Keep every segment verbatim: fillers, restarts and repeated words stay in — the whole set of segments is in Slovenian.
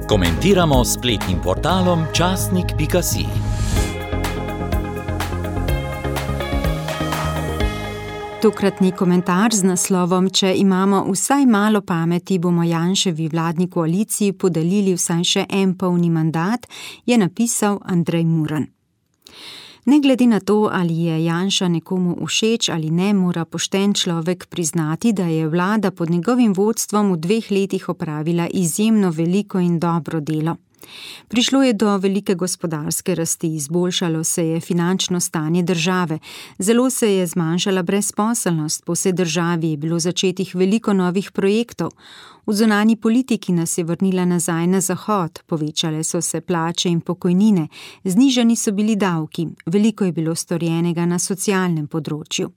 Komentiramo s spletnim portalom časnik pika si. Tokratni komentar z naslovom Če imamo vsaj malo pameti, bomo Janševi vladni koaliciji podelili vsaj še en polni mandat, je napisal Andrej Muran. Ne glede na to, ali je Janša nekomu všeč ali ne, mora pošten človek priznati, da je vlada pod njegovim vodstvom v dveh letih opravila izjemno veliko in dobro delo. Prišlo je do velike gospodarske rasti, izboljšalo se je finančno stanje države, zelo se je zmanjšala brezposelnost, po vsej državi je bilo začetih veliko novih projektov, v zunanji politiki nas je vrnila nazaj na zahod, povečale so se plače in pokojnine, znižani so bili davki, veliko je bilo storjenega na socialnem področju.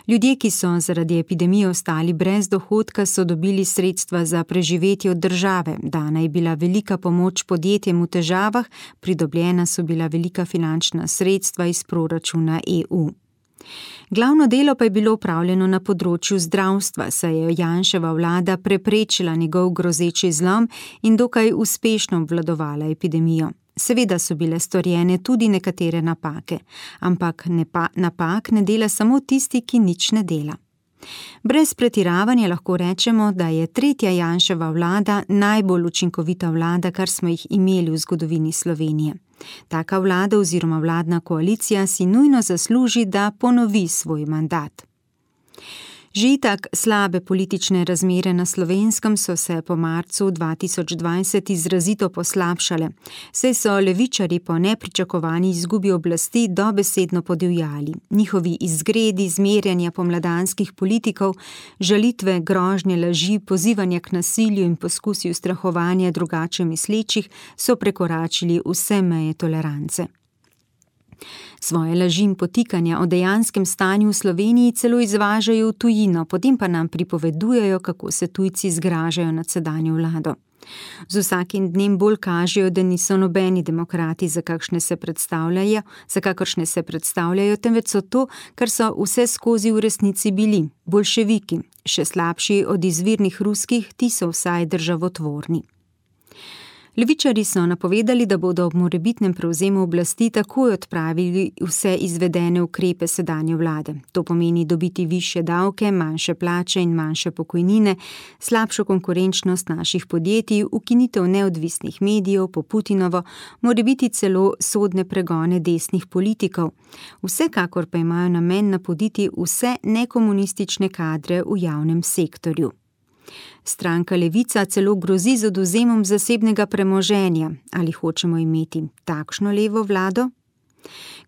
Ljudje, ki so zaradi epidemije ostali brez dohodka, so dobili sredstva za preživetje od države, dana je bila velika pomoč podjetjem v težavah, pridobljena so bila velika finančna sredstva iz proračuna E U. Glavno delo pa je bilo opravljeno na področju zdravstva, saj je Janševa vlada preprečila njegov grozeči zlom in dokaj uspešno obvladovala epidemijo. Seveda so bile storjene tudi nekatere napake, ampak nepa, napak ne dela samo tisti, ki nič ne dela. Brez pretiravanja lahko rečemo, da je tretja Janševa vlada najbolj učinkovita vlada, kar smo jih imeli v zgodovini Slovenije. Taka vlada oziroma vladna koalicija si nujno zasluži, da ponovi svoj mandat. Že itak slabe politične razmere na Slovenskem so se po marcu dva tisoč dvajset izrazito poslabšale, saj so levičarji po nepričakovani izgubi oblasti dobesedno podivjali. Njihovi izgredi, zmerjanja pomladanskih politikov, žalitve, grožnje, laži, pozivanja k nasilju in poskusi ustrahovanja drugače mislečih so prekoračili vse meje tolerance. Svoje laži in potikanja o dejanskem stanju v Sloveniji celo izvažajo v tujino, potem pa nam pripovedujejo, kako se tujci zgražajo nad sedanjo vlado. Z vsakim dnem bolj kažejo, da niso nobeni demokrati, za kakšne se predstavljajo, za kakršne se predstavljajo, temveč so to, kar so vse skozi v resnici bili, boljševiki, še slabši od izvirnih ruskih, ti so vsaj državotvorni. Levičarji so napovedali, da bodo ob morebitnem prevzemu oblasti takoj odpravili vse izvedene ukrepe sedanje vlade. To pomeni dobiti višje davke, manjše plače in manjše pokojnine, slabšo konkurenčnost naših podjetij, ukinitev neodvisnih medijev po Putinovo, morebiti celo sodne pregone desnih politikov. Vsekakor pa imajo namen napoditi vse nekomunistične kadre v javnem sektorju. Stranka Levica celo grozi z odvzemom zasebnega premoženja. Ali hočemo imeti takšno levo vlado?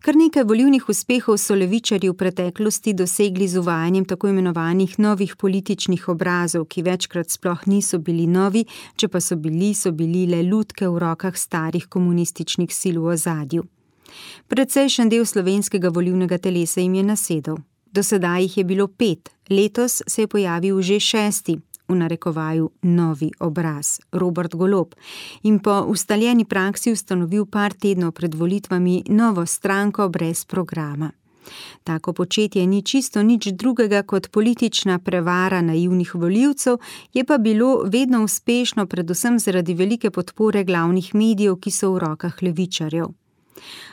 Kar nekaj volilnih uspehov so levičarji v preteklosti dosegli z uvajanjem tako imenovanih novih političnih obrazov, ki večkrat sploh niso bili novi, če pa so bili, so bili le lutke v rokah starih komunističnih sil v ozadju. Precejšen del slovenskega volilnega telesa jim je nasedel. Do sedaj jih je bilo pet, letos se je pojavil že šesti, v narekovaju novi obraz, Robert Golob, in po ustaljeni praksi ustanovil par tednov pred volitvami novo stranko brez programa. Tako početje ni čisto nič drugega kot politična prevara naivnih volivcev, je pa bilo vedno uspešno predvsem zaradi velike podpore glavnih medijev, ki so v rokah levičarjev.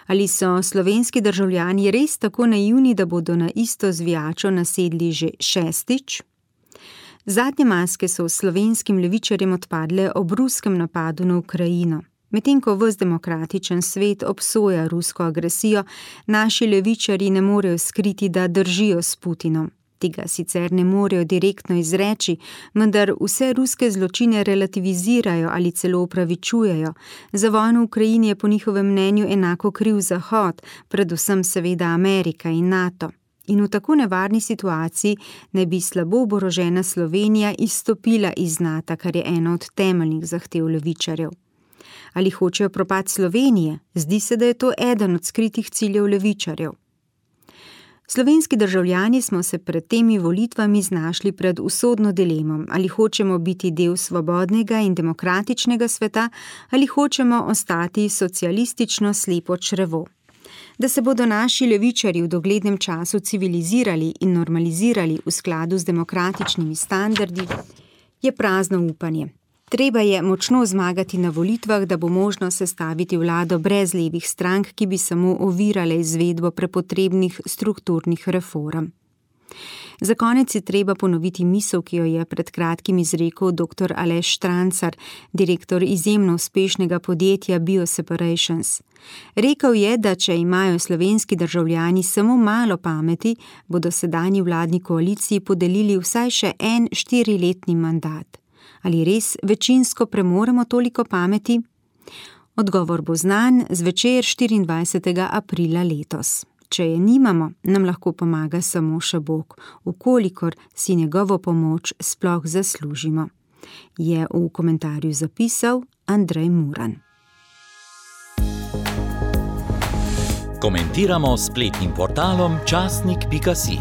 Ali so slovenski državljani res tako naivni, da bodo na isto zvijačo nasedli že šestič? Zadnje maske so slovenskim levičarjem odpadle ob ruskem napadu na Ukrajino. Medtem ko ves demokratičen svet obsoja rusko agresijo, naši levičarji ne morejo skriti, da držijo s Putinom. Tega sicer ne morejo direktno izreči, vendar vse ruske zločine relativizirajo ali celo upravičujejo. Za vojno v Ukrajini je po njihovem mnenju enako kriv Zahod, predvsem seveda Amerika in NATO. In v tako nevarni situaciji ne bi slabo oborožena Slovenija izstopila iz NATO, kar je ena od temeljnih zahtev levičarjev. Ali hočejo propad Slovenije? Zdi se, da je to eden od skritih ciljev levičarjev. Slovenski državljani smo se pred temi volitvami znašli pred usodno dilemo, ali hočemo biti del svobodnega in demokratičnega sveta, ali hočemo ostati socialistično slepo črevo. Da se bodo naši levičarji v doglednem času civilizirali in normalizirali v skladu z demokratičnimi standardi, je prazno upanje. Treba je močno zmagati na volitvah, da bo možno sestaviti vlado brez levih strank, ki bi samo ovirale izvedbo prepotrebnih strukturnih reform. Za konec je treba ponoviti misel, ki jo je pred kratkim izrekel doktor Aleš Štrancar, direktor izjemno uspešnega podjetja Bioseparations. Rekel je, da če imajo slovenski državljani samo malo pameti, bodo sedanji vladni koaliciji podelili vsaj še en štiriletni mandat. Ali res večinsko premoremo toliko pameti? Odgovor bo znan zvečer štiriindvajsetega aprila letos. Če je nimamo, nam lahko pomaga samo še Bog, vkolikor si njegovo pomoč sploh zaslužimo, je v komentarju zapisal Andrej Muran. Komentiramo s spletnim portalom časnik pika si.